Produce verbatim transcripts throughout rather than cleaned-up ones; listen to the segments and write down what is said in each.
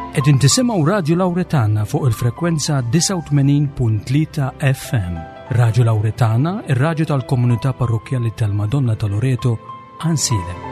Qegħdin tisimgħu Radio Lauretana fuq il-frekwenza disgħa u tmenin punt tlieta F M. Radio Lauretana, ir-radju tal-komunità parrokkjali tal-Madonna ta' Loreto, Għajnsielem.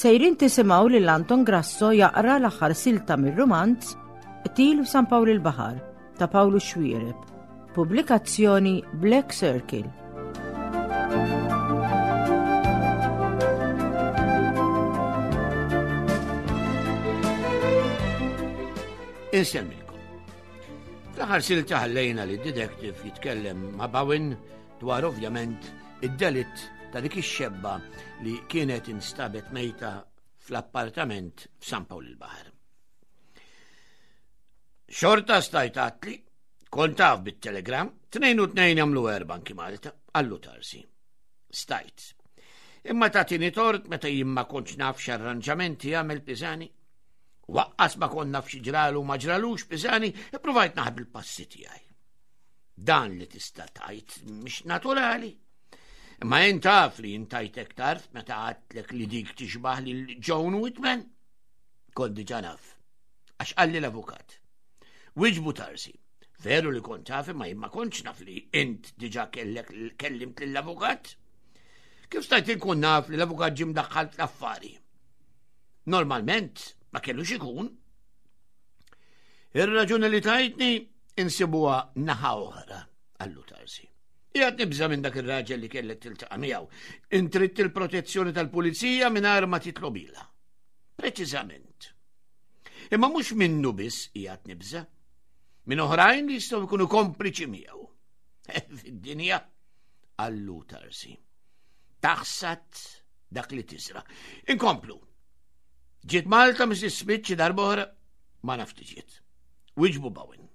Sejrin tisimgħu lil Anton Grasso jaqra l-aħħar silta mir-rumanz Qtil San Pawl il-Baħar ta' Pawlu Xuereb. Pubblikazzjoni Black Circle. Insemmilkom. Fl-aħħar silta ħallejna li detective jitkellem ma' Bowen dwar, ovvjament, id-delitt ta' dik ix-xebba li kienet instabet mejta fl-appartament f'San Pawl il-Baħar. Xorta stajt għedtli, kont taf bit-telegram, tnejn u tnejn jagħmlu erba' anki Malta, qallu Tarsi. Stajt. Imma tagħtini tort meta jien ma kontx naf x'arranġamenti jagħmel Pisani. Lanqas ma kont naf xi ġralu ma ġralux Pisani, ippruvajt naħbi l-passi tiegħi. Dan li tista' tgħid mhix naturali. Imma jien taf li intajtek tarf meta għedtlek li dik tixbaħ lil Joan Whitman. Kont diġà naf. Għax qalli l-avukat. Wiġbu Tarsi. Veru li kont taf, imma jien ma kontx naf li int diġà kellek kellimt lill-avukat. Kif stajt inkun naf li l-avukat ġie mdaħħal fl-affari? Normalment ma kellux ikun. Ir-raġuni li tajtni insibuha naħa oħra, qallu Tarsi. Qiegħed nibża' minn dak ir-raġel li kellek tiltaqa' miegħu. Int ridt il-protezzjoni tal-pulizija mingħajr ma titlobilha. Preċiżament. Imma mhux minnu biss qiegħed nibża'. Minn oħrajn li jistgħu jkunu kompliċi miegħu. Fid-dinja, qallu Tarsi. Taħsad dak li tiżra'. Inkomplu. Ġiet Malta Missus Smith xi darb'oħra? Ma nafx ġiet. Wiġbu Bowen.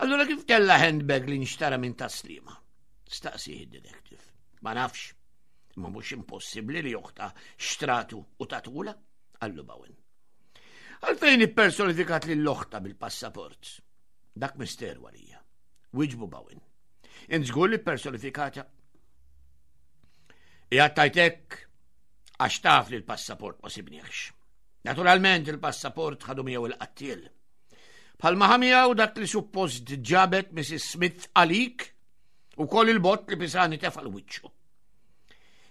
Allura kif kella handbag li nxtara minn Tas-Sliema? Staqsi id-detective. Ma nafx. Ma mhux impossibbli li oħtha xtratu u tatulha, qallu Bowen. Għalfejn ippersonifikat lil oħtha bil-passaport? Dak misteru għalija. Wiġbu Bowen. Int żgur li personifikata? Qiegħed għax taf li l-passaport ma sibniex. Naturalment il-passaport ħadu miegħu il-qattiel. Bħalma ħa miegħu dak li suppost ġabet Missus Smith għalik u koll il-bott li Pisani tefa' f'wiċċu.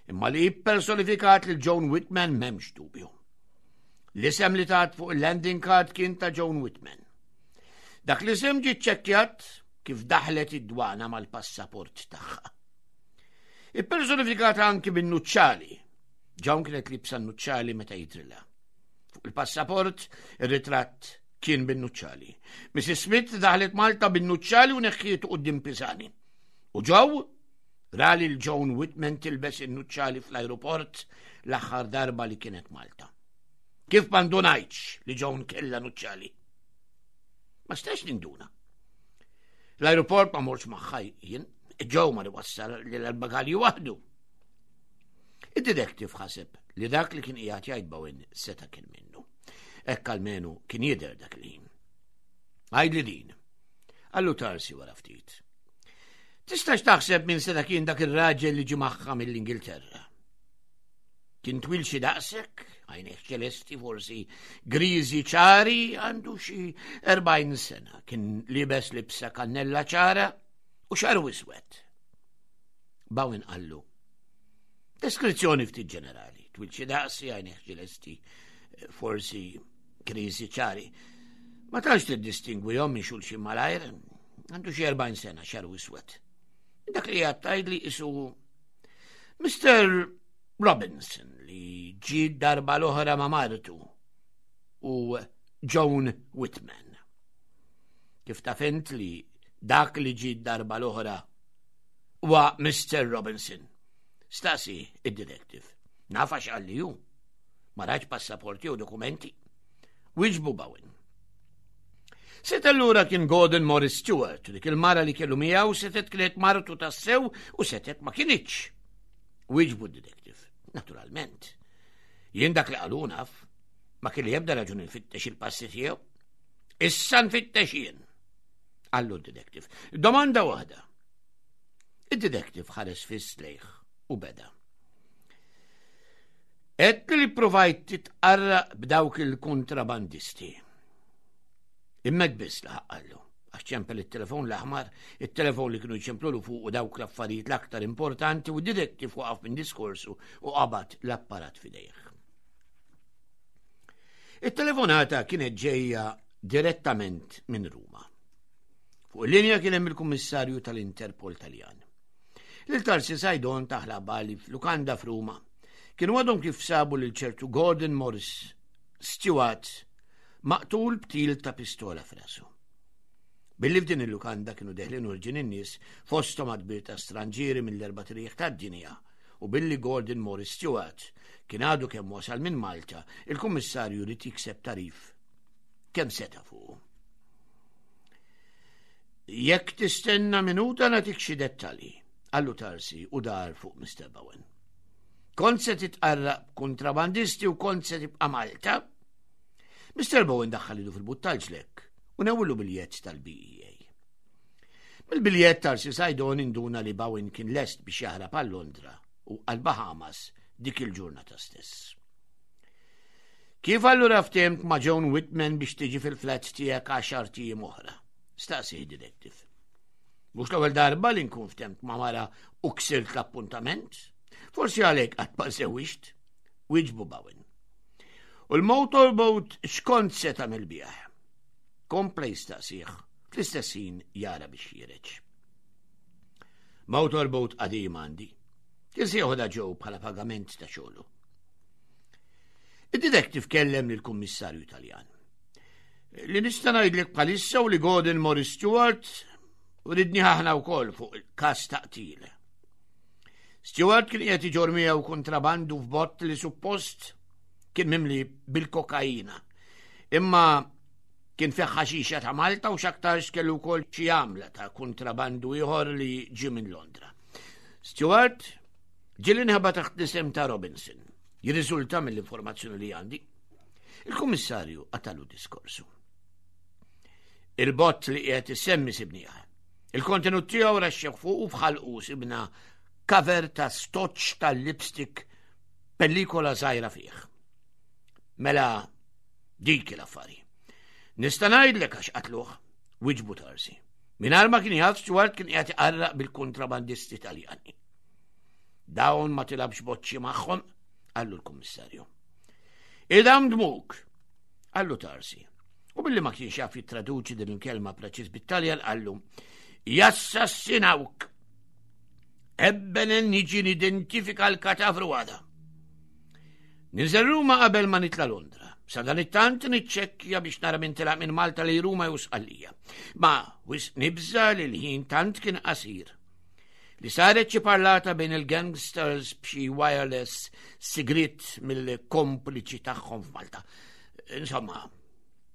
Imma li personifikat lil Joan Whitman m'hemmx dubju. L-isem li tat fuq il-landing card kien ta' Joan Whitman. Dak l-isem ġi ċċekkjat kif daħlet id-dwana mal-passaport tagħha. Ippersonifikata anki bin-nuċċali. Joan kienet liebsa n-nuċċali meta jidrilha. Fuq il-passaport, ir-ritratt kien bin-nuċċali. Missus Smith daħlet Malta bin-nuċċali u neħħietu quddiem Pisani. U Joe ra lil Joan Whitman tilbes in-nuċċali fl-aeroport l-aħħar darba li kienet Malta. Kif ma ndunajtx li Joan kella nuċċali? Ma stax ninduna. L-aeroport ma mortx magħha jien, Joe mar iwassal l-bagalji waħdu. Id-detective ħaseb li dak li kien qiegħed jgħid Bowen seta' kien minnu. Hekk almenu kien jidher dak il-ħin. Għidli din. Qallu Tarsi wara ftit. Tistax taħseb min seta' kien dak ir-raġel li ġie magħha mill-Ingilterra? Kien twil xi daqsek, għajnejh ċelesti, forsi griżi ċari, għandu xi erbgħin sena. Kien liebes libsa kannella ċara u xagħru iswed. Bowen qallu. Deskrizzjoni ftit ġenerali, twil xi daqsi, għajnejh ċelesti, forsi griżi ċari. Ma tantx tiddistingwihom minn xulxin malajr, għandu xi erbgħin sena, xagħru iswed. Dak li għedt li qisu Mister Robinson li ġi darba l-oħra ma' martu u Joan Whitman. Kif taf int li dak li ġi darba l-oħra huwa Mister Robinson? Staqsa id-detective. Naf għax qalli hu. Ma rajtx passaporti u dokumenti. Wiġbu Bowen. Seta' allura kien Gordon Morris Stewart, dik il-mara li kellu miegħu setet kienet martu tassew u setet ma kinitx. Wieġbu d-detective, naturalment. Jien dak li qalu naf, ma kelli ebda raġuni nfittex il-passi tiegħu. Issa nfittex jien. Qallu d-detective. Domanda waħda. Id-detective ħares fiss lejh u beda. Għedt li provajt titqarraq b'dawk il-kontrabandisti. Imma biss laħaq qallu, għax ċempel it-telefon l-aħmar, it-telefon li kienu jċemplulu fuq u dawk l-affarijiet l-aktar importanti, u d-detective waqaf minn diskorsu u qabad l-apparat f'idejh. Il-telefonata kienet ġejja direttament minn Ruma. Fuq il-linja kien hemm il-kummissarju tal-Interpol Taljan. Lil Tarsi Sajdon taħla bali f'lukanda f'Ruma. Kienu għadhom kif sabu lil ċertu Gordon Morris Stewart maqtul b'til ta' pistola f'rasu. Billi f'din il-lukanda kienu deħlin u ħerġin in-nies, fosthom għadd kbir ta' stranġieri mill-erba' triq tad-dinja, u billi Gordon Morris Stewart kien għadu kemm wasal minn Malta, il-kummissarju ried jikseb tagħrif kemm seta' fuq. Jekk tistenna minuta nagħtik xi dettalji, qallu Tarsi u dar fuq Mister Bowen. Kont se titqarraq kontrabandisti u kont se tibqa' Malta? Mister Bowen daħħal idu fil-but tal-ġlekk u newwlu biljett tal-B E A. Bil-biljett Tarsi Sajdon induna li Bowen kien lest biex jaħrab għal Londra u għal Bahamas dik il-ġurnata stess. Kif allura ftemt ma' Joan Whitman biex tiġi fil-flat tiegħek għaxart ijiem oħra? Staqsi detective. Mhux l-ewwel darba li nkun ftemt ma' mara u ksirt l-appuntament? Forsi għalhekk qatt ma żżewwiġt? Wieġbu Bowen. U l-motorboat x'kont se tagħmel bih? Kompla jistaqsih, fl-istess ħin jara biex ħiereġ. Motorboat qadim għandi. Kien se joħodha Joe bħala pagament ta' xogħlu. Id-detective kellem lill-kummissarju Taljan. Li nista' ngħidlek bħalissa u li Gordon Morris Stewart u ridni aħna wkoll fuq il-każ ta' qtil. Stewart kien qiegħed iġorr miegħu kontrabandu f'bott li suppost kien mimli bil-kokaina. Imma kien fih ħaxixa ta' Malta u x'aktarx kellu wkoll xi għamla ta' kontrabandu ieħor li ġie minn Londra. Stewart ġieli nħeba taħt l-isem ta' Robinson. Jirriżulta mill-informazzjoni li għandi. Il-kummissarju qatagħlu diskorsu. Il-bott li qiegħed issemmi sibnieh. Il-kontenut tiegħu raxxew fuq u f'ħalqu sibna cover ta' stoċ tal-lipstick pellikolha żgħira fih. Mela dik l-affari. Nista' ngħidlek għax qatluh, wieġbu Tarsi. Mingħajr ma kien jaf, Stewart kien qiegħed iqarraq bil-kontrabandisti Taljani. Dawn ma tilgħabx boċċi magħhom, qallu l-kummissarju. Idam dmuk, qallu Tarsi. U billi ma kienx jaf jittraduċi din il-kelma preċiż bit-Taljan, qallu jassassinawk. Ebbene, niġi nidentifika l-katavru għada. Ninżel Ruma qabel ma nitla Londra. Sa dan it-tant niċċekkja biex nara min telaq minn Malta lejn Ruma jew Sqallija. Ma wisq nibża li l-ħin tant kien qasir li saret xi parlata bejn il-gangsters b'xi wireless sigrit mill-kompliċi tagħhom f'Malta. Insomma,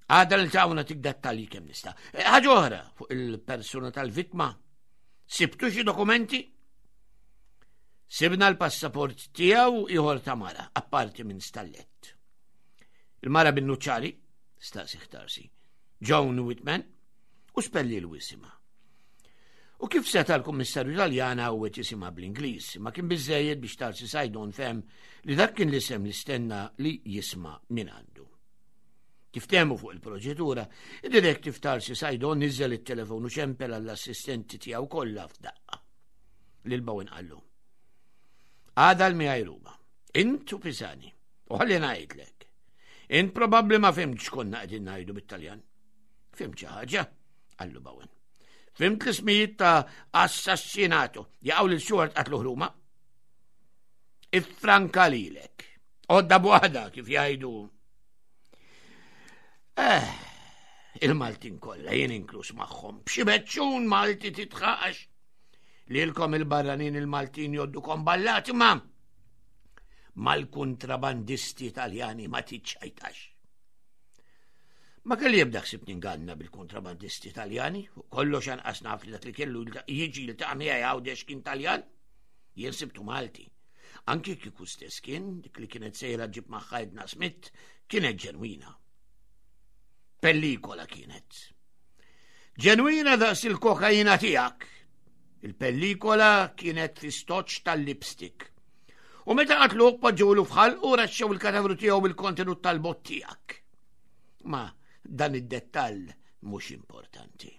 għada niltaqgħu nagħtik dettalji kemm nista'. Ħaġa oħra fuq il-persuna tal-vittma. Sibtu xi dokumenti? Sibna l-passaport tiegħu ieħor ta' mara, apparti minn stallett. Il-mara bin-nuċċali, staqsi Tarsi, Joan Whitman, u spellilu isimha. U kif seta' l-kummissarju Taljana u jisimha bl-Ingliż, ma kien biżejjed biex Tarsi Sajdon fehem li dak kien l-isem li stenna li jisma' minn għandu. Kif ftehmu fuq il-proċedura, id-detective Tarsi Sajdon niżel it-telefon u ċempel għall-assistenti tiegħu kollha f'daqqa. Lil Bowen qallu. Għada l-miegħi Ruma. Int u Pisani. U ħalli ngħidlek. Int probabbli ma fhimtx konna qegħdin ngħidu bit-Taljan. Fhimt xi ħaġa, qallu Bowen. Fhimt l-ismijiet ta' assassinato. Jaqaw lil Stewart qatlu Ruma. Ifranka lilek. Għodda b'waħda kif jgħidu. Eh, il-Maltin kollha, jien inkluż magħhom. B'xi beċċun Malti titħaqax. Lilkom il-barranin il-Maltin jgħoddukom ballati, ma mal-kontrabandisti Italjani ma tiċċajtax. Ma kelli ebda ħsieb ninganna bil-kontrabandisti Taljani, u kollox anqas naf li dak li kellu jiġi jiltaqa' miegħi Għawdex kien Taljan. Jien sibtu Malti. Anki kieku stess kien, dik li kienet sejra ġib magħha Edna Smith, kienet ġenwina. Pellikola kienet. Ġenwina daqs il-kokaina tiegħek. Il-pellikola kienet fi stoċ tal-lipstick. U meta qatluh poġġewlu f'ħalqu raxxew il-katavru tiegħu bil-kontenut tal-bott tiegħek. Ma dan id-dettall mhux importanti.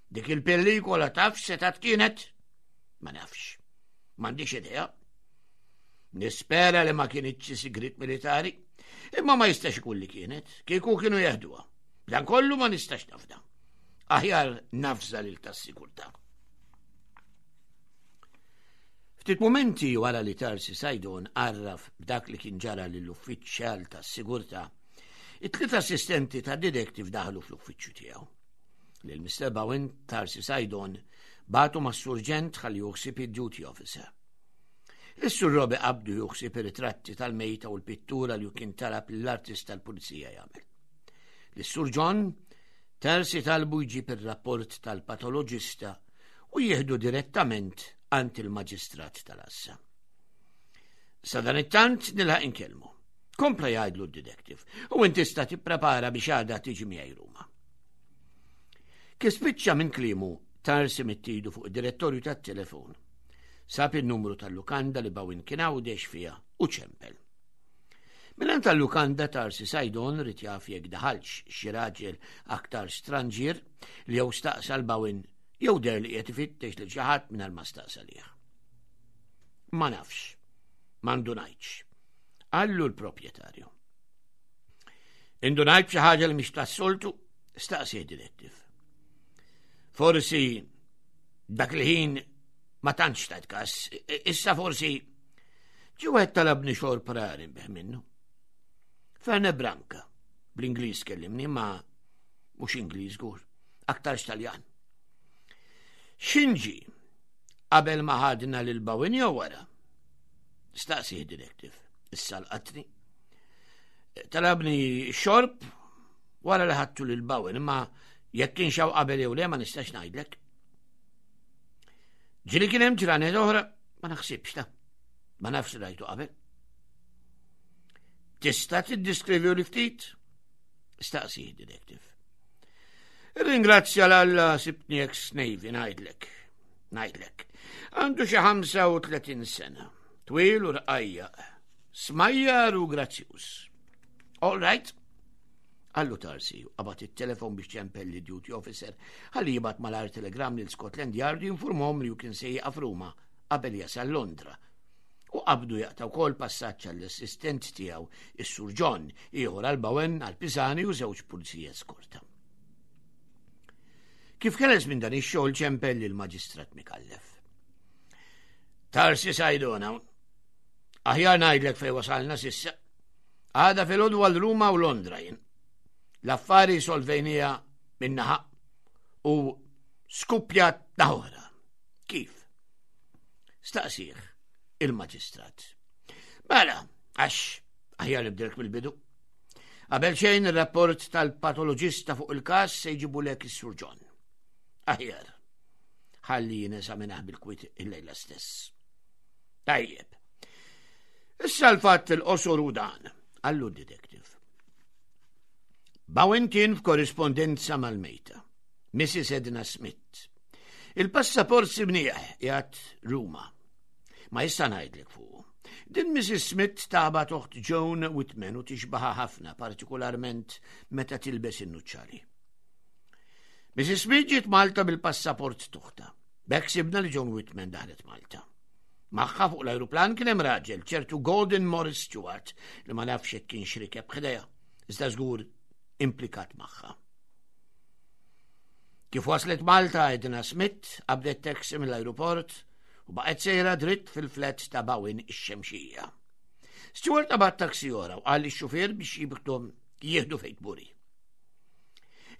Dik il-pellikola taf setat kienet? Ma nafx. M'għandix idea. Nispera li ma kienitx sigrit militari, imma ma jistax ikun li kienet, kieku kienu jeħduha. Dan kollu ma nistax nafda. Aħjar nafża lil tas-sigurtà. Ftit momenti wara li Tarsi Sajdon għarraf b'dak li kien ġara lill-uffiċjal tas-sigurtà, it-tliet assistenti ta' detective daħlu fl-uffiċċju tiegħu. Lil Mister Bowen Tarsi Sajdon bagħtu mas-surġent ħalli juħsib id-duty officer. Is-sur Robi qabdu juħsib ir-ritratti tal-mejta u l-pittura li kien talab lill-artist tal-pulizija jagħmel. Lis-sur John Tarsi talbu jġib ir-rapport tal-patoloġista u jieħdu direttament għand il-maġistrat tal-Assa. Sa dan it-tant nilħaq inkellmu. Kompla jgħidlu d-detective u inti tista' tipprepara biex għada tiġi miegħi Ruma. Kif spiċċa minn kliemu Tarsi mittidu fuq id-direttorju tat-telefon. Sab il-numru tal-lukanda li Bowen kien Għawdex fiha u ċempel. Minn tal-lukanda Tarsi Sajdon ried jaf jekk daħalx xi raġel aktar stranġier li jew staqsa l Bowen jew der li qed ifittex lil xi ħadd mingħajr ma staqsa lih. Ma nafx, m'indunajtx. Qallu l-proprjetarju. Indunajt xi ħaġa li mhix tas-soltu, staqsi detective. Forsi dak il-ħin ma tantx tajt kas, issa forsi ġie wieħed talabni xorb rari nbigħ minnu. Fernet Branca, bl-Ingliż kellimni, ma mhux Ingliż żgur, aktarx Taljan. X'inġi qabel ma ħadna lil Bowen jew wara? Staqsi detective, issa l-qatni. Talabni xorb wara li ħadtu lil Bowen, imma jekk kien xaw qabel jew le ma nistax ngħidlek. Ġieli kien hemm ġranet oħra, ma naħsibx ta' ma nafx rajtu qabel. Tista' tiddiskrivi li ftit? Staqsi detective. Ringrazzja l-Alla sibtni ex-Navy ngħidlek. Ngħidlek. Għandu xi ħamsa u tletin sena. Twil u rqajja. Smajjar u grazzjuż. All right. Qallu Tarsi, qabad it-telefon biex ċempel li duty officer ħalli jibgħat malajr telegram lil Scotland Yard jinformhom li hu kien se jieqaf Ruma qabel jasal Londra. U qabdu jaqta' wkoll passaġġ għall-assistent tiegħu, is-Sur John, ieħor għal Bowen, għal Pisani u żewġ pulizija skorta. Kif keles minn dan ix-xogħol ċempel lil maġistrat Mikallef. Tarsi Sajdona, aħjar ngħidlek fejn wasalna sissa. Għada filgħodu għal Ruma u Londra jien. L-affari solvejnija minnaħa u skuppjat naħora. Kif? Staqsih il-maġistrat. Mela, għax aħjar nibdilek mill-bidu. Qabel xejn ir-rapport tal-patoloġista fuq il-każ se jġibulek is-Sur John. Aħjar, ħalli jeżaminah bil-kwiet il-lejla stess. Tajjeb. Issa l-fatt il-qosor u dan, qallu d-detective. Bowen kien f'korrispondenza mal-mejta, Missus Edna Smith. Il-passaport sibnieh qiegħed Ruma. Ma issa ngħidlek fuq. Din Missus Smith taba toħt Joan Whitman u tixbaħa ħafna, partikolarment meta tilbes in-nuċċali. Missus Smith ġiet Malta bil-passaport tuħta. B'hekk sibna li Joan Whitman daħlet Malta. Magħha fuq l-ajruplan kien hemm raġel, ċertu Gordon Morris Stewart, li ma nafx jekk kienx rikeb ħdejha, iżda żgur implikat magħha. Kif waslet Malta, Edna Smith qabdet taxi mill-ajruport u baqgħet sejra dritt fil-flat ta' Bowen ix-Xemxija. Stewart qabad taxi oħra u qal lix-xufier biex jibtom jieħdu fejn tburi.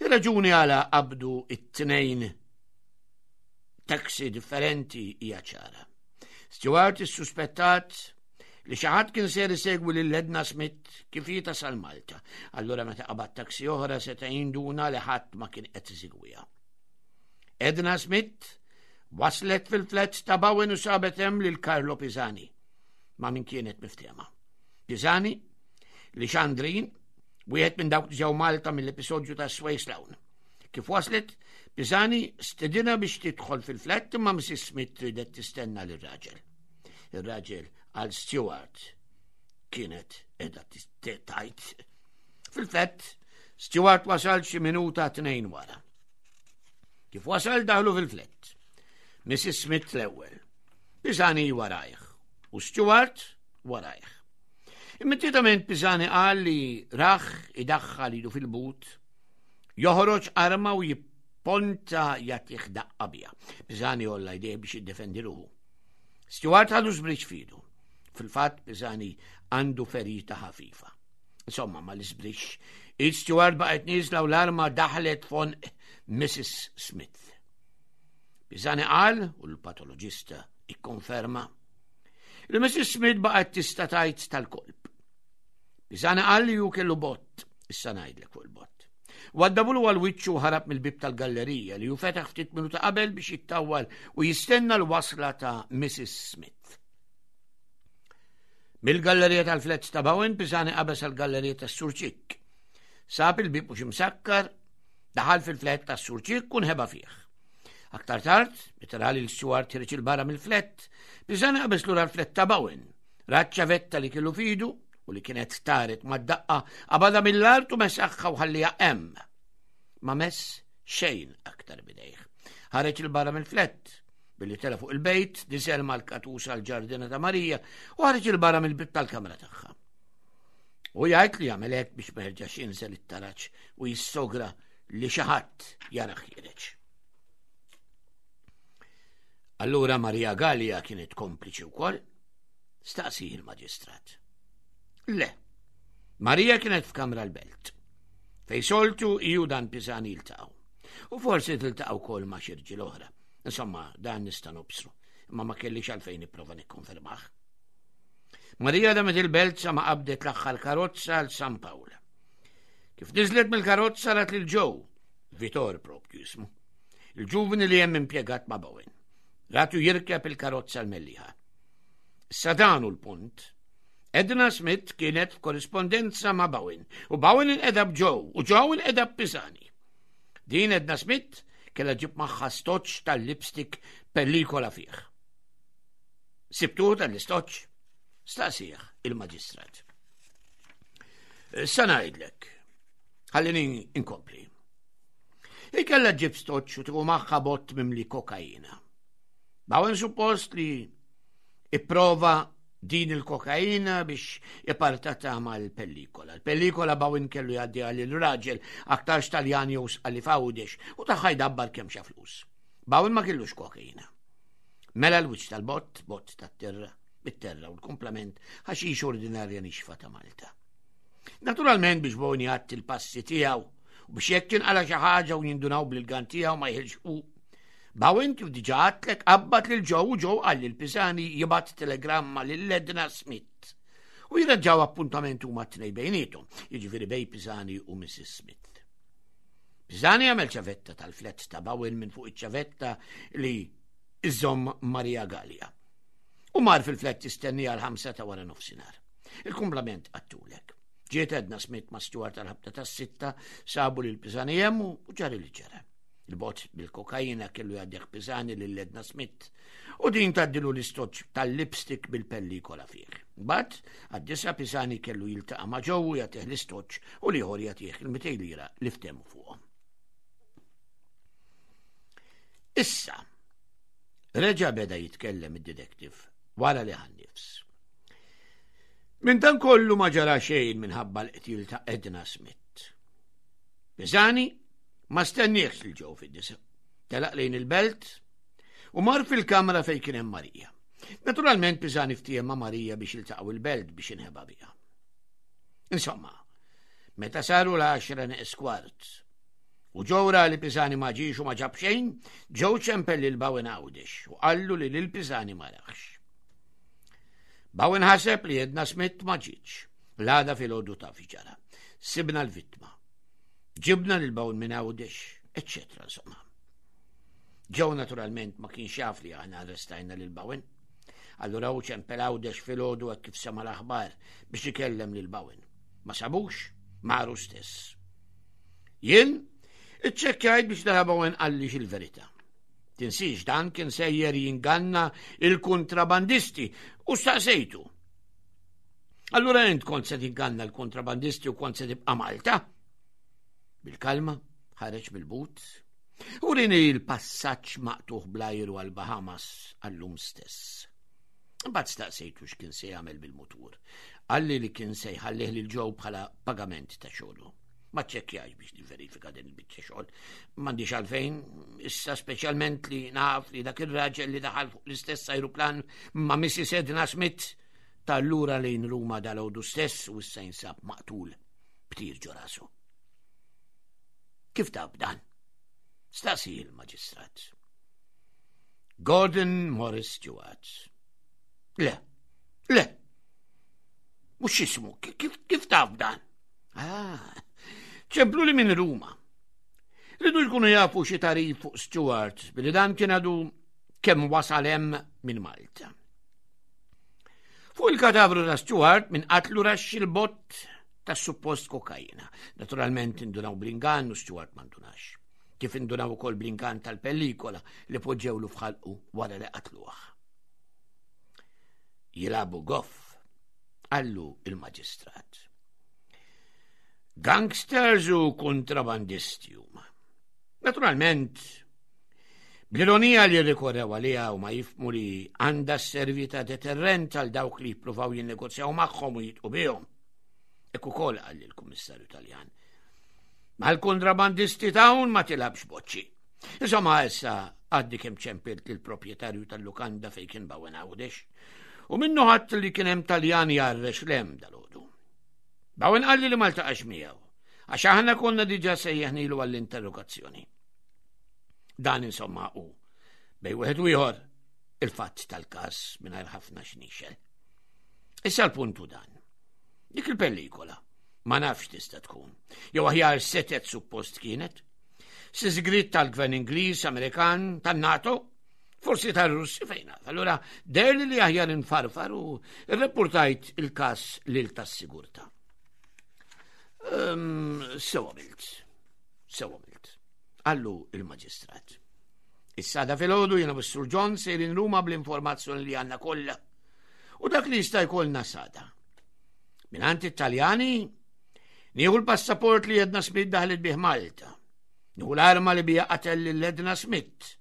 Ir-raġuni għala qabdu it-tnejn taxi differenti hija ċara. Stewart issuspettat li xi ħadd kien ser isegwi lil Edna Smith kif hi tasal Malta. Allura meta qabad taksi oħra seta' jinduna li ħadd ma kien qed isegwiha. Edna Smith waslet fil-flat ta' Bowen u sabet hemm lil Carlo Pisani ma' min kienet miftehma. Pisani li Xandrin, wieħed minn dawk li ġew Malta mill-episodju ta' Sway Sloan. Kif waslet, Pisani stedinha biex tidħol fil-flat imma Missus Smith ridet tistenna lir-raġel. Ir-raġel għal Stewart kienet qiegħda tajt. Fil-flat, Stewart wasal xi minuta tnejn wara. Kif wasal daħlu fil-flat. Missus Smith l-ewwel, Pisani warajh u Stewart warajh. Immedjatament Pisani qal li rah idaħħal idu fil-but, joħroġ arma u jipponta jagħtih daqqa biha. Pisani għolla jdejh biex jiddefendi ruħu. Stewart ħadu żbriċ f'idu. Fil-fatt Pisani għandu ferita ħafifa. Insomma, ma l-iżbriċ, id Stewart baqgħet nieżla u l-arma daħlet f'għonq Missus Smith. Pisani qal, u l-patoloġista ikkonferma, li Missus Smith baqgħet tista' tgħid tal-kolp. Pisani qal li ju kellu bott, issa ngħidlek fuq il-bott. Waddabulu għal wiċċu ħarab mill-bib tal-gallerija li ju fetaħ ftit minuta qabel biex jittawwal u jistenna l-wasla ta' Missus Smith. Mill-gallerija tal-flats ta' Bowen, Pisani qabeż għall-gallerija tas-Surċik. Sab il-bib mhux imsakkar, daħal fil-flat tas-Surċik u nħeba fih. Aktar tard, meta ra lil Stewart ħiereġ 'il barra mill-flat, Pisani qabeż lura l-flat ta' Bowen. Ra ċ-ċavetta li kellu f'idu u li kienet taret mad-daqqa, qabadha mill-art u mesaħha u ħalliha hemm. Ma mess xejn aktar bidejh. Ħareġ 'il barra mill-flat, billi tela fuq il-bejt, niżel mal-katusa l-ġardina ta' Marija u ħareġ 'il barra mill-bib tal-kamra tagħha. U jgħid li jagħmel hekk biex ma jerġax jinżel it-taraġ u jissogra li xi ħadd jarah ħiereġ. Allura Maria Gallia kienet kompliċi wkoll? Staqsi il-maġistrat. Le, Maria kienet f'kamra l-belt. Fej soltu iju dan Pisani jiltaqgħu. U forsi tiltaqgħu wkoll ma' xi rġiel oħra. Insomma, dan nista' nobsru, imma ma kellix għalfejn nipprova nikkonfermah. Maria damet il-belt sa ma qabdet l-aħħar karozza għal San Pawl. Kif niżlet mill-karozza rat lil Joe, Vitor propju jismu, il-ġuvni li hemm impjegat ma' Bowen. Ratu jirkeb il-karozza l-Mellieħa. Issa dan hu l-punt. Edna Smith kienet f'korrispondenza ma' Bowen u Bowen inqeda b'Joe u Joe inqeda b'Pisani. Din Edna Smith kellha ġib magħha stoċ tal-lipstick pellikola fih. Sibtuh tal-istoċ? Staqsih il-maġistrat. Sa ngħidlek, ħallini inkompli. Hi kellha ġib stoċ u tieħu magħha bott mimli kokaina. Bowen suppost li ipprova din il-kokaina biex ipartata mal-pellikola. Il-pellikola Bowen kellu jgħaddi għal il-raġel aktarx Taljan jew Sqalli f'Għawdex u tagħha jdabbar kemm xa flus. Bowen ma kellux kokaina. Mela l-wiċċ tal-bott, bott tat-terra, bit-terra u l-komplement ħaxix ordinarja nixfa ta' Malta. Naturalment biex Bowen jgħatti l-passi tiegħu u biex jekk tinqala xi ħaġa u jindunaw bil-gan tiegħu ma jħilx hu. Bowen kif diġà għedtlek qabbat lil Joe u Joe qal lil Pisani jibgħat telegramma lil Edna Smith u jirraġaw appuntament huma t-tnejn bejniethom, jiġifieri bej Pisani u Missus Smith. Pisani għamel ċavetta tal-flat ta' Bowen minn fuq iċ-ċavetta li iżomm Maria Gallia. U mar fil-flat tistenni għal ħamsa ta' wara nofsinhar. Il-kumplament għedtulek. Ġiet Edna Smith ma' Stewart tal-ħabta tas-sitta, sabu lil Pisani hemm u ġara li ġara. Il-bot bil-kokaina kellu jgħaddih Pisani lil Edna Smith u din tgħaddilu l-istoċ tal-lipstick bil-pellikola fih. Mbagħad għad-disa Pisani kellu jiltaqa' ma' Joe u jagħtih l-istoċ u l-ieħor jagħtih il-mitejn lira li ftehmu fuqhom. Issa, reġa' beda jitkellem id-detective wara li ħa n-nifs. Minn dan kollu ma ġara xejn minħabba l-qtil ta' Edna Smith. Pisani ma stenniex lil Joe fid-disa. Telaq lejn il-belt u mar fil-kamra fejn kien hemm Marija. Naturalment Pisani ftiehem ma' Marija biex jiltaqgħu il-belt biex inħeba biha. Insomma, meta saru l-għaxra neqes kwart u Joe ra li Pisani ma ġiex u ma ġab xejn, Joe ċempel lil Bowen Għawdex u qallu li lil Pisani ma raħx. Bowen ħaseb li Edna Smith ma ġietx. L-għada filgħodu taf ġara. Sibna l-vittma. Ġibna lil Bowen minn Għawdex, eccetera, insomma. Joe naturalment ma kienx jaf li aħna arrestajna lil Bowen. Allura hu ċempel Għawdex filgħodu hekk kif sema l-aħbar biex ikellem lil Bowen. Ma sabux, mar hu stess. Jien iċċekkjajt biex nara Bowen qallix il-verità. Tinsiex dan kien sejjer jinganna il-kontrabandisti u staqsejtu. Allura int kont se tinganna l-kontrabandisti u kont se tibqa' Malta? Bil-kalma, ħareġ bil-but, u wrieni l-passaġġ maqtugħ bl-ajru għal-Bahamas għallum stess. Mbagħad staqsejtu x'kien se jagħmel bil-mutur. Qalli li kien se jħallih lil Joe bħala pagament ta' xogħlu. Ma ċċekkjajtx biex niverifika din il-biċċa xogħol. M'għandix għalfejn, issa speċjalment li naf li dak ir-raġel li daħal fuq l-istess ajruplan ma' Missus Edna Smith tar lura lejn Ruma dalgħodu stess u issa jinsab maqtul b'tir ġo rasu. Kif taf dan? Staqsa il-maġistrat. Gordon Morris Stewart. Le, le, mhux jismu, kif, kif taf dan? Ah, ċempluli minn Ruma. Riedu jkunu jafu xi tagħrif fuq Stewart, billi dan kien għadu kemm wasal hemm minn Malta. Fuq il-kadavru ta' Stewart minn qatlu raxx il-bott ta' suppost kokaina. Naturalment indunaw bl-ingann u Stewart ma ndunax. Kif indunaw ukoll bl-ingann tal-pellikola li poġġewlu f'ħalqu wara li qatluh. Jilagħbu goff, qallu il-maġistrat. Gangsters u kontrabandisti huma. Naturalment, bl-ironija li rikorrew għaliha u ma jifhmu li għandha sservi ta' deterrent għal dawk li jippruvaw jinnegozjaw magħhom u jidħqu bihom. Hekk ukoll qal il-Kummissarju Taljan. Mal-kontrabandisti t'hawn ma tilgħabx boċċi. Insomma, issa għadni kemm ċempilt il-proprjetarju tal-lukanda fejn kien Bowen Għawdex. U minnu ħadd li kien hemm Taljan jgħarrex 'l hemm dalgħodu. Bowen qalli li ma ltaqax miegħu, għax aħna konna diġà sejjaħnilu għall-interrogazzjoni. Dan insomma u bejn wieħed u ieħor il-fatt tal-każ mingħajr ħafna xnixel. Issa l-puntu dan. Dik il-pellikola ma nafx tista' tkun. Jew aħjar setet suppost kienet. Sigriet tal-gvern Ingliż, Amerikan, tan-NATO, forsi tar-Russi fejn naf. Allura deherli li aħjar infarfar u rreportajt il-każ lil tas-sigurtà. Um, Sew għamilt, sew għamilt, qallu il-maġistrat. Issa għada filgħodu jiena u Sur John sejrin Ruma bl-informazzjoni li għandna kollha. U dak li jista' jkollna s'għada. Mingħand it-Taljani, nieħu l-passaport li Edna Smith daħlet bih Malta. Nieħu l-arma li biha qatel lil Edna Smith.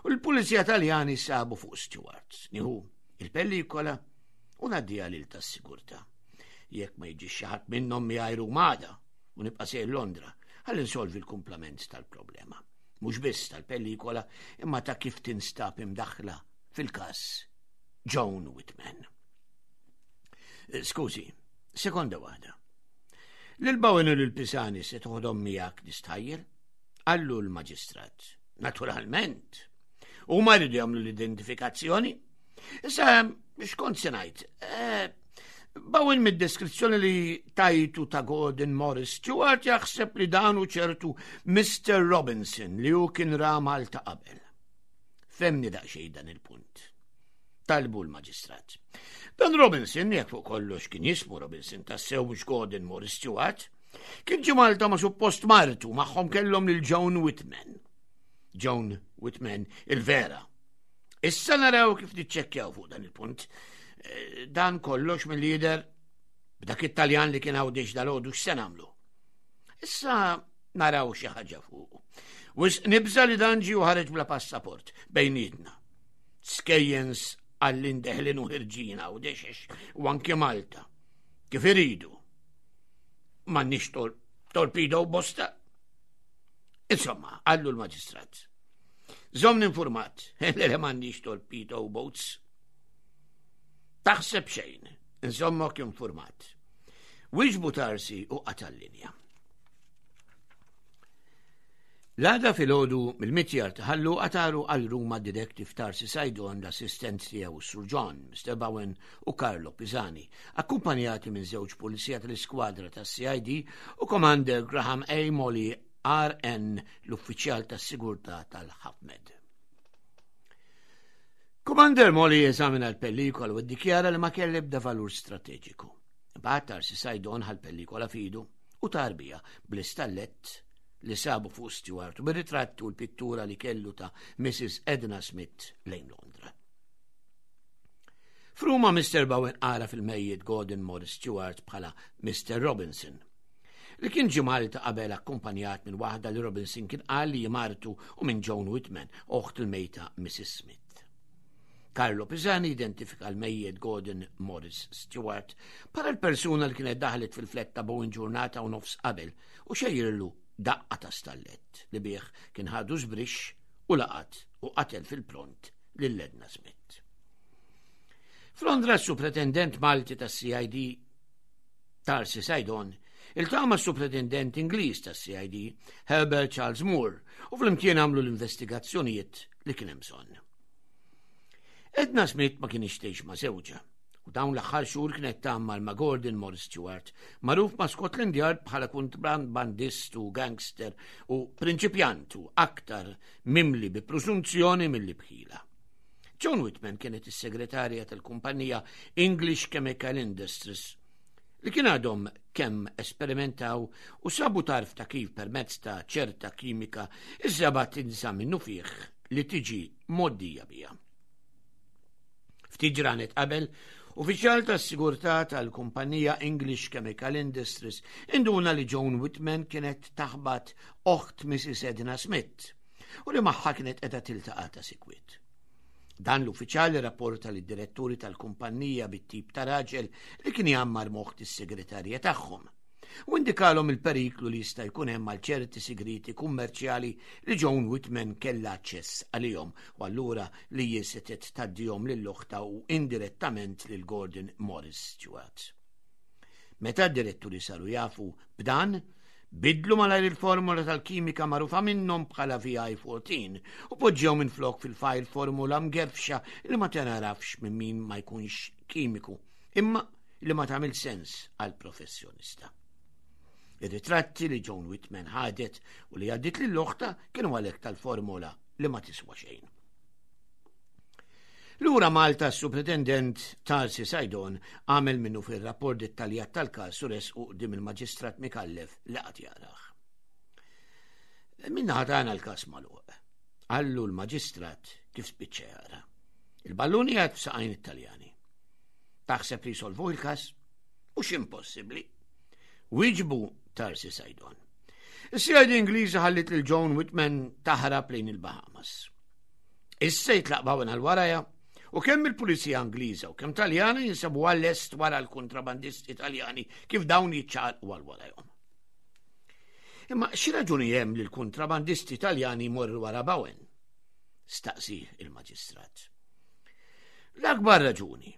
U l-Pulizija Taljani sabu fuq Stewart. Nieħu il-pellikola u ngħaddiha lil tas-sigurtà. Jekk ma jiġix xi ħadd minnhom miegħi Ruma għada u nibqa' sejjer Londra, ħalli nsolvi l-kumplament tal-problema. Mhux biss tal-pellikola, imma ta' kif tinstab imdaħla fil-każ Joan Whitman. Eh, Skużi, sekonda waħda. Lil Bowen u lil Pisani se toħodhom miegħek nistħajjel? Qallu l-maġistrat. Naturalment. U ma jridu jagħmlu l-identifikazzjoni. Issa, x'kont se ngħid? Eh, Bowen mid-deskrizzjoni li tajtu ta' Gordon Morris Stewart jaħseb li dan hu ċertu Mister Robinson li hu kien ra Malta qabel. Fehmni daqsxejn dan il-punt. Talbu l-maġistrat. Dan Robinson, jekk fuq kollox kien jismu Robinson tassew mhux Gordon Morris Stewart, kien ġie Malta ma' suppost martu magħhom kellhom lil Joan Whitman. Joan Whitman il-vera. Issa naraw kif niċċekkjaw fuq dan il-punt. Eh, Dan kollox mill-lider b'dak it-Taljan li kien Għawdex dalgħodu x'se nagħmlu. Issa naraw xi ħaġa fuq. Wisq nibża' li dan ġie u ħareġ bla passaport bejnietna. Skejjens għallin deħlin u ħerġin Għawdex u anke Malta. Kif iridu. M'għandniex tor torpedo bosta. Insomma, qallu l-maġistrat. Żommni informat, li m'għandniex torpedo boats. Taħseb xejn, inżommok informat. Wieġbu Tarsi u qata' l-linja. L-għada filgħodu mill-mitjar ta' Ħal Luqa taru għal Ruma d-detective Tarsi Saydon, l-assistent tiegħu Sir John, Mister Bowen u Carlo Pisani, akkumpanjati minn żewġ pulizija tal-iskwadra tas-C I D u Commander Graham A. Molly R N, l-uffiċjal tas-sigurtà tal-Hafmed. Commander Molly eżamina l-pellikola u ddikjara li ma kelli ebda valur strateġiku. Imbagħad Tarsi Saydon ħa l-pellikola f'idu u tar biha bl-istallett li sabu fuq Stewart u bir-ritratti u l-pittura li kellu ta' Missus Edna Smith lejn Londra. F'Ruma Mister Bowen għaraf il-mejjet Gordon Morris Stewart bħala Mister Robinson, li kien ġie Malta qabel akkumpanjat minn waħda li Robinson kien qal li martu u minn Joan Whitman, oħt il-mejta Missus Smith. Carlo Pisani identifika l-mejjet Gordon Morris Stewart bħala l-persuna li kienet daħlet fil-flat ta' Bowen ġurnata u nofs qabel u xejjirlu daqqa ta' stallett li bih kien ħadu żbrix u laqat u qatel fil-pront lil Edna Smith. F'Londra s-supretendent Malti tas-C I D Tarsi Saydon iltaqa' mas-supretendent Ingliż tas-C I D Herbert Charles Moore u flimkien għamlu l-investigazzjonijiet li kien hemm bżonn. Edna Smith ma kienx tgħix ma' żewġha u dawn l-aħħar xhur kienet tgħammar ma' Gordon Morris Stewart, magħruf ma' Scotland Yard bħala kontrabandist u gangster u prinċipjant u aktar mimli bi presunzjoni milli b'ħila. Joan Whitman kienet is-segretarja tal-kumpanija English Chemical Industries li kien għadhom kemm esperimentaw u sabu tarf ta' kif permezz ta' ċerta kimika iż-żebgħa tinsa minnufih li tiġi mgħoddija biha. Ftit ġranet qabel, uffiċjal tas-sigurtà tal-kumpanija English Chemical Industries induna li Joan Whitman kienet taħbat oħt Missus Edna Smith u li magħha kienet qiegħda tiltaqa' ta' sikwit. Dan l-uffiċjal rapporta lid diretturi tal-kumpanija bit-tip ta' raġel li kien jgħammar m'oħt is-segretarja tagħhom u indikalhom il-periklu li jista' jkun hemm għal ċerti sigriti kummerċjali li Joan Whitman kellha aċċess għalihom u allura li jisetet tgħaddihom lil oħtha u indirettament lil Gordon Morris Stewart. Meta d-diretturi saru jafu b'dan, bidlu malajr il-formula tal-kimika magħrufa minnhom bħala V I fourteen u poġġew minn flok fil-fajl formula mgerfxa li ma tingħarafx minn min ma jkunx kimiku, imma li ma tagħmel sens għal professjonista. Ir-ritratti li Joan Whitman ħadet u li għaddit lil oħtha kienu għalhekk tal-formula li ma tiswa xejn. Lura Malta s-supretendent Tarsi Saydon għamel minnu fil-rapport dettaljat tal-kas u ressqu quddiem il-maġistrat Micallef li qagħad jarah. "Min-naħa tagħna l-kas magħluq," qallu l-maġistrat kif spiċċa jara. "Il-ballun qiegħed f'saqajn it-Taljani. Taħseb li jsolvu il-kas? Mhux impossibbli," wieġbu Tarsi Saydon. Is-C I D Ingliża ħallit lil Joan Whitman taħrab lejn il-Bahamas. Issa jitlaq Bowen għal warajha u kemm il-Pulizija Ingliża u kemm Taljana jinsabu għall-est wara l-kontrabandisti Taljani kif dawn jiċċaqalqu għal warajhom. "Imma xi raġuni hemm li l-kontrabandisti Taljani jmorru wara Bowen?" staqsi il-maġistrat. "L-akbar raġuni.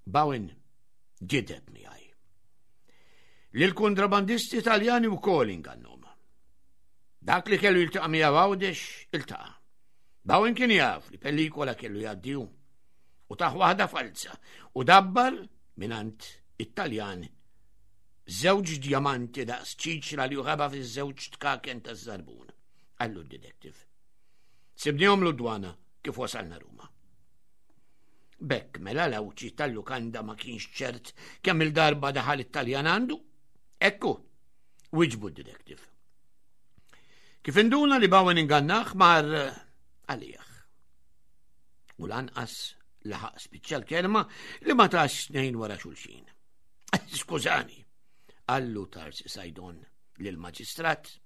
Bowen gideb miegħi. Li l-kontrabandisti Taljani wkoll ingannhom. Dak li kellu jiltaqa' miegħu Għawdex iltaqa'. Bowen kien jaf li pellikola kellu jgħaddi u tah waħda falza u dabbar mingħand it-Taljan żewġ djamanti daqs ċiċra li ħeba fiż-żewġ tkaken ta' żarbun," qallu d-detective. "Sibnihom l-dwana kif wasalna Ruma." B'hekk mela l-Għawdxi tal-lukanda ma kienx ċert kemm il-darba daħal it-Taljan għandu? "Ekku," wieġbu d-detective. "Kif induna li Bowen ingannah mar għalih." U lanqas laħaq spiċċa l-kelma li ma tax snejn wara xulxin. "Skużani," qallu Tarsi Saydon lill-maġistrat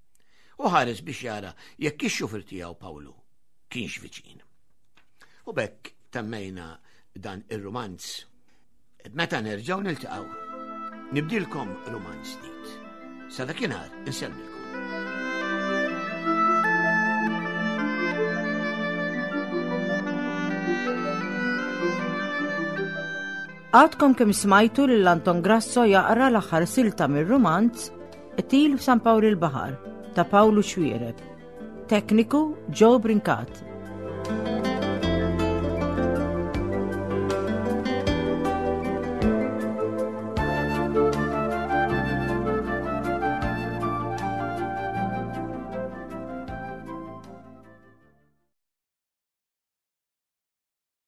u ħares biex jara jekk ix-xufier tiegħu Pawlu kienx viċin. U b'hekk temmejna dan ir-romanz. Meta nerġgħu niltaqgħu, nibdilkom romanz ġdid. Sa dakinhar insellmilkom. Għadkom kemm smajtu lil Anton Grasso jaqra l-aħħar silta mir-romanz Qtil f'San Pawl il-Baħar ta' Pawlu Xuereb. Tekniku Joe Brincat.